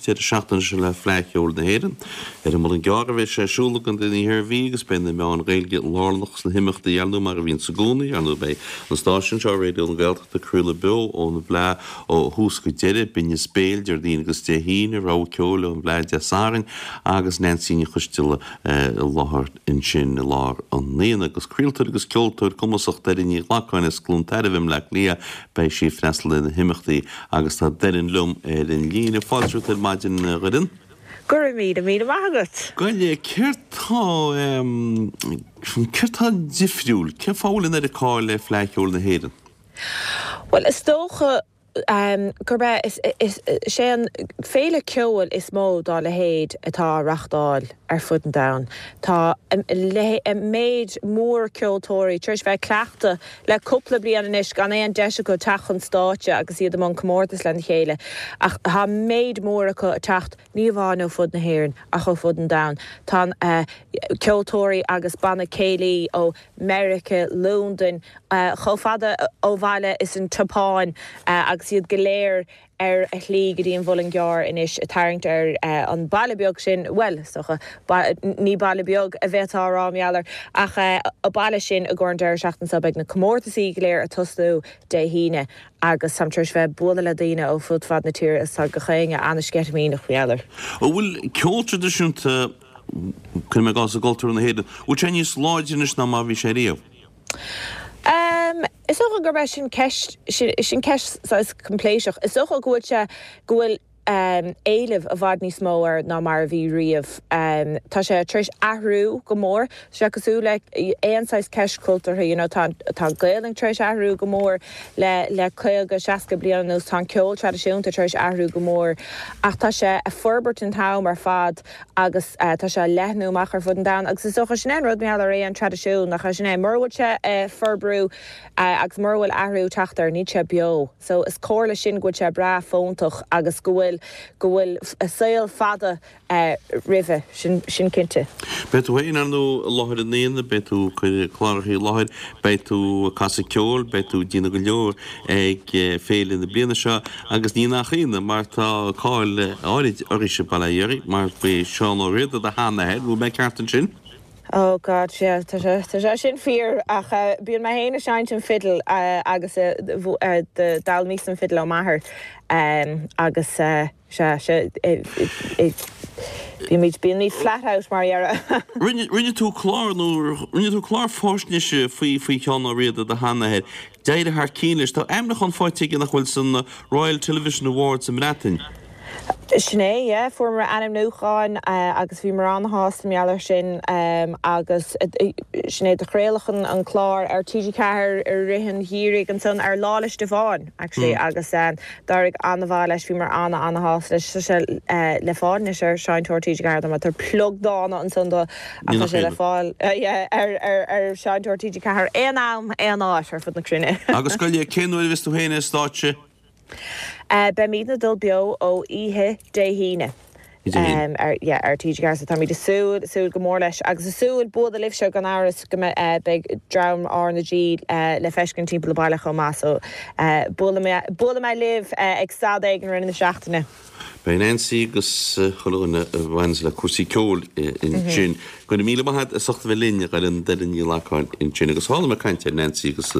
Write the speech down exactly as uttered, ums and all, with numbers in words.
an deireadh seachtaine seo le Fleadh Cheoil na hÉireann. Ar an Muileann gCearr a bheidh sé ar siúl i gContae an Iarthair Bhí agus beidh na meáin Ghaeilge lárnach sna himeachtaí ar ndóigh mar a bhíonns i gcónaí. Ar ndóigh beidh an stáisiún seo, Raidió na Gaeltachta, ag craoladh beo ón bhFleadh ó thús go deireadh, Binneas Béil Déardaoin agus Dé hAoine, rogha ceoil ón bhFleadh Dé Sathairn agus Neansaí Ní Choisdealbha i láthair ansin i lár an aonaigh. Agus craoltóir agus ceoltóir cumasach Doireann Ní Ghlacáin as Cluain Tairbh i mBleá Cliath, beidh sí ag freastal ar na himeachtaí agus tá Doireann liom ar an líne. Fáilte romhat ar maidin, a Dhoireann. Go raibh míle míle maith agat. Gabh i leith, céard tá, céard tá difriúil, cén fáth a bhfuil an oiread cáil le Fleadh Cheoil na hÉireann? Bhuel, is dócha gurb é, is é an féile ceoil is mó dá leithéid atá á reachtáil ar fud an domhain. Tá méid mór ceoltóirí tar éis bheith ag cleachtadh le cúpla bliain anois gan aon deis acu teacht chun stáitse agus iad i mbun comórtas lena chéile ach tá méid mór acu ag teacht ní amháin ó fud na hÉireann ach ó fud an domhain. Tá ceoltóirí agus banna céilí ó Meiriceá, Londain, chomh fada ó bhaile is an tSeapáin agus iad go léir ar a shlí go dtí an Mhuileann gCearr anois ag tarraingt ar an baile beag sin, bhuel, is dócha, ní baile beag a bheifeá a rá mar gheall air, ach an baile sin i gcomhair an deireadh seachtaine seo. Beidh na comórtasaí go léir ag tosnú Dé hAoine agus táim tar éis bheith ag bualadh le daoine ó fud fad na tíre is tá gach éinne an-sceitimíneach mar gheall air. An bhfuil ceol traidisiúnta, cuirim i gcás i gcultúr na hÉireann, an bhfuil sé níos láidre anois ná mar a bhí sé riamh? Is dócha gurb é sin ceist, sin ceist saghas coimpléiseach. Is dócha go bhfuil sé, go bhfuil éileamh i bhfad níos mó air ná mar a bhí riamh. Tá sé tar éis athrú go mór. Tá sé cosúil le aon saghas ceist cultúrtha, you know, tá tá an Ghaelainn tar éis athrú go mór le le caoga, seasca bliain anuas, tá an ceol traidisiúnta tar éis athrú go mór ach tá sé ag forbairt an t-am ar fad agus tá sé ag leathnú amach ar fud an domhain agus is dócha sin é an rud mar gheall ar aon traidisiún, nach é sin é, mura bhfuil sé ag forbrú agus mura bhfuil athrú ag teacht air, níl sé beo. So is comhartha sin go bhfuil sé breá fóntach agus go bhfuil go bhfuil saol fada roimhe, sin sin cinnte. Beidh tú féin ar ndóigh i láthair an aonaigh, beidh tú ag cur cláracha i láthair, beidh tú ag casadh ceoil, beidh tú ag déanamh go leor ag féile na bliana seo agus ní nach ionadh mar tá cáil áirid oraibhse i Baile Átha Dheirg mar ba é Seán Ó Riada do sheanathair, bhfuil mé ceart ansin? Oh God, yeah, tá sé, tá sé sin fíor ach bíonn mé féin ag seinnt an fidil agus d'fhoghlaimíos an fidil ó m'athair agus sea, sea, bímid, bímid flat out mar a déarfá. Rinne, rinne tú clár nó rinne tú clár faisnéise faoi, faoi Sheán Ó Riada, do sheanathair. D'éirigh thar cinn leis. Tá ainmniúchán faighte aige nach bhfuil san Royal Television Awards sa mBreatain. Sin é, yeah. Fuaireamar ainmniúchán agus bhíomar an-shásta mar gheall air sin agus sin é do chraoladh an clár ar T G ceathair i rith an gheimhridh ansan ar Lá 'le Stiofáin actually agus d'éirigh an-mhaith leis, bhíomar an-an-shásta leis. Tá sé le fáil anois ar Seinnteoir T G ceathair dá mbeadh tú plug dána ansan do ach tá sé le fáil yeah ar ar ar Seinnteoir T G ceathair aon am, aon áit ar fud na cruinne. Agus gabh i leith, cén uair a bheas tú féin ar stáitse? Beimidne ag dul beo ó oíche Dé hAoine ar yeah ar T G ceathair so táimid ag súil súil go mór leis agus ag súil bualadh libhse gan amhras go mbeidh beidh dream R na G le feiscint timpeall an baile chomh maith so buailfidh mé buailfidh mé libh ag stad éigin i rith na seachtaine. Beidh Nancy agus chuile dhuine a bhaineanns le cúrsaí ceoil ansin. Go raibh míle maith agat as ucht a bheith linn, a Dhoireann, Doireann Ní Ghlacáin ansin agus tharla mé ag caint ar Nancy agus